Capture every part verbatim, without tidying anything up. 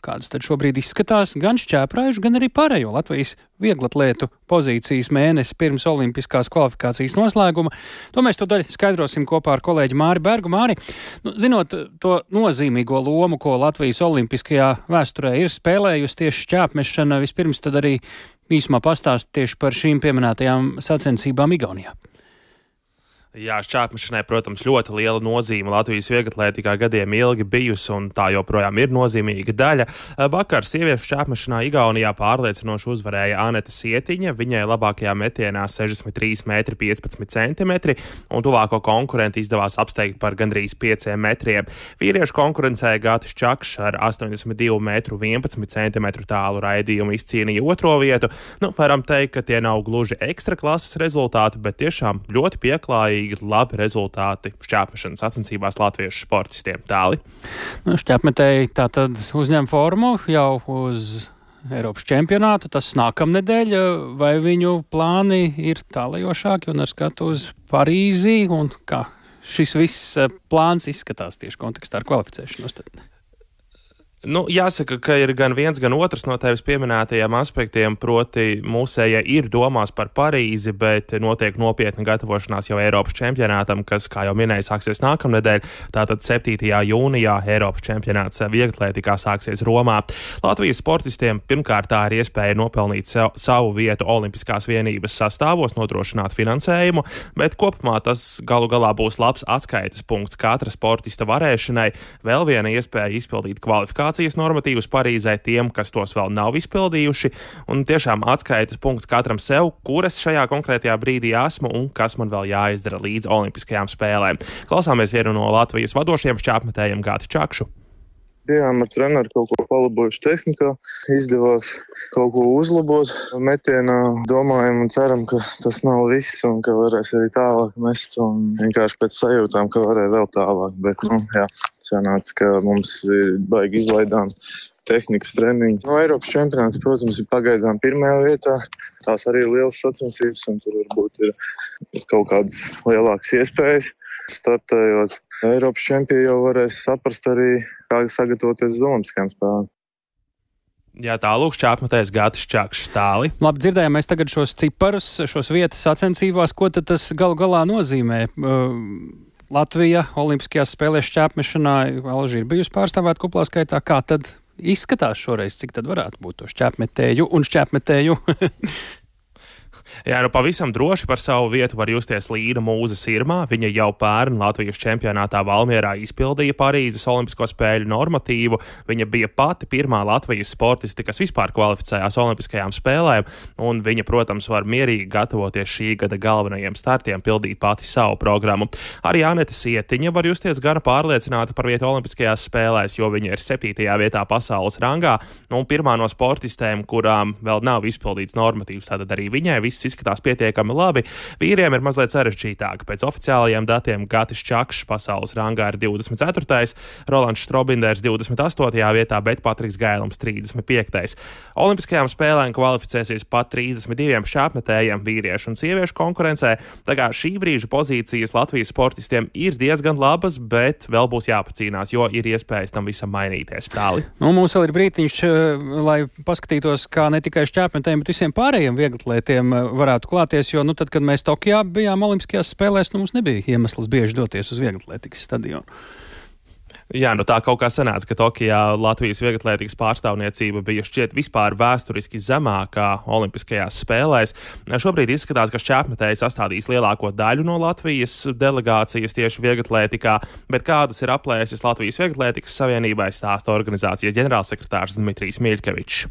Kādas tad šobrīd izskatās gan šķēpraižu, gan arī pārējo Latvijas vieglatlētu pozīcijas mēnesi pirms olimpiskās kvalifikācijas noslēguma? To mēs tūdaļ skaidrosim kopā ar kolēģi Māri Bergu. Māri, nu, zinot to nozīmīgo lomu, ko Latvijas olimpiskajā vēsturē ir spēlējusi tieši šķēpmešana, vispirms tad arī īsumā pastāst tieši par šīm pieminētajām sacensībām Igaunijā. Jā, šķēpmešanai, protams, ļoti liela nozīme Latvijas vieglatlētikā gadiem ilgi bijusi, un tā joprojām ir nozīmīga daļa. Vakar sieviešu šķēpmešanā Igaunijā pārliecinoši uzvarēja Aneta Sietiņa. Viņai labākajā metienā sešdesmit trīs metri piecpadsmit centimetri, un tuvāko konkurenti izdevās apsteigt par gandrīz pieciem metriem. Vīriešu konkurencē Gatis Čakšs ar astoņdesmit divu metru vienpadsmit centimetru tālu raidījumu izcīnīja otro vietu. Nu, varam teikt, ka tie nav gluži ekstra klases rezultāti, bet tiešām ļoti pieklājīgi labi rezultāti šķēpmešanas sacensībās latviešu sportistiem. Tāli. Nu, šķēpmetēji tātad uzņem formu jau uz Eiropas čempionātu, tas nākamnedēļ, vai viņu plāni ir tālajošāki un ar skatu uz Parīzi, un kā šis viss plāns izskatās tieši kontekstā ar kvalificēšanos? Tad? Nu, jāsaka, ka ir gan viens, gan otrs no tevis pieminētajiem aspektiem, proti mūsējie ir domās par Parīzi, bet notiek nopietna gatavošanās jau Eiropas čempionātam, kas, kā jau minēju, sāksies nākamnedēļ. Tātad septītajā jūnijā Eiropas čempionāts vieglatlētikā sāksies Romā. Latvijas sportistiem pirmkārt tā ir iespēja nopelnīt savu vietu Olimpiskās vienības sastāvos, nodrošināt finansējumu, bet kopumā tas galu galā būs labs atskaites punkts katra sportista varēšanai. Vēl viena iespēja izpildīt kvalifikāciju normatīvus Parīzē tiem, kas tos vēl nav izpildījuši, un tiešām atskaites punkts katram sev, kuras šajā konkrētajā brīdī esmu un kas man vēl jāizdara līdz olimpiskajām spēlēm. Klausāmies vienu no Latvijas vadošiem šķēpmetējiem Gati Čakšu. Bijām ar treneru kaut ko palabojuši tehnikā, izdevās kaut ko uzlabot metienā, domājam un ceram, ka tas nav viss un ka varēs arī tālāk mest, un vienkārši pēc sajūtām, ka varēja vēl tālāk, bet, nu, jā, sanāca, ka mums baigi izlaidām tehnikas treniņi. No Eiropas čempionāts, protams, ir pagaidām pirmajā vietā, tās arī ir lielas sacensības, un tur varbūt ir kaut kādas lielākas iespējas. Startējot Eiropas čempioni jau varēs saprast arī, kā sagatavoties uz olimpiskajām spēlēm. Jā, tālūk šķēpmetējs Gatis Čakšs. Tāli. Labi, dzirdējām mēs tagad šos ciparus, šos vietas sacensībās. Ko tad tas galu galā nozīmē? Uh, Latvija olimpiskajās spēlēs šķēpmešanā Alži ir bijusi pārstāvēta kuplā skaitā. Kā tad izskatās šoreiz, cik tad varētu būt to šķēpmetēju un šķēpmetēju? Jā, nu pavisam droši par savu vietu var justies Līna Mūze Sirmā. Viņa jau pērn Latvijas čempionātā Valmierā izpildīja Parīzes olimpisko spēļu normatīvu. Viņa bija pati pirmā Latvijas sportisti, kas vispār kvalificējās olimpiskajām spēlēm, un viņa, protams, var mierīgi gatavoties šī gada galvenajiem startiem, pildīt pati savu programmu. Arī Aneta Sietiņa var justies gana pārliecināta par vietu olimpiskajās spēlēs, jo viņa ir septītajā vietā pasaules rangā, un pirmā no sportistēm, kurām vēl nav izpildīts normatīvs, tātad arī viņai viss izskatās pietiekami labi. Vīriem ir mazliet sarežģītāk. Pēc oficiālajiem datiem Gatis Čakšs pasaules rangā ir divdesmit ceturtais, Rolands Štrobinders divdesmit astotajā vietā, bet Patriks Gailums trīsdesmit piektais. Olimpiskajām spēlēm kvalificēsies pat trīsdesmit diviem šķēpmetējiem vīriešu un sieviešu konkurencē. Tā kā šī brīža pozīcijas Latvijas sportistiem ir diezgan labas, bet vēl būs jāpacīnās, jo ir iespējas tam visam mainīties. Tāli. Nu, mums vēl ir brītiņš, lai paskatītos, kā ne tikai šķēpmetējiem, bet visiem pārējiem vieglatlētiem varētu klāties, jo, nu, tad, kad mēs Tokijā bijām olimpiskajās spēlēs, nu, mums nebija iemesls bieži doties uz vieglatlētikas stadionu. Jā, nu tā kaut kā sanāca, ka Tokijā Latvijas vieglatlētikas pārstāvniecība bija šķiet vispār vēsturiski zemākā olimpiskajās spēlēs. Šobrīd izskatās, ka šķēpmetēji sastādīs lielāko daļu no Latvijas delegācijas tieši vieglatlētikā, bet kādas ir aplēses Latvijas vieglatlētikas savienībai, stāsta organizācijas ģenerālsekretārs Dmitrijs Miļkevičs.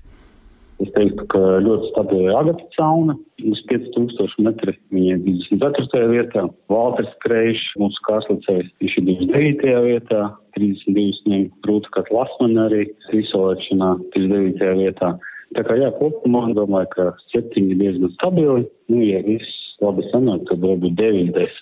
Es teiktu, ka ļoti stabili Agata Cauna, uz pieci tūkstoši metri, viņa ir divdesmit ceturtajā vietā. Valters Kreišs, mūsu kārslicējs, viņš ir divdesmit devītajā vietā, trīsdesmit divas viņam Rūta Katlasmane arī izsolēšanā trīsdesmit devītajā vietā. Tā kā jā, kopumā domāju, ka septiņi diezgan stabili, nu, ja viss labi sanāk, tad varbūt deviņdesmit.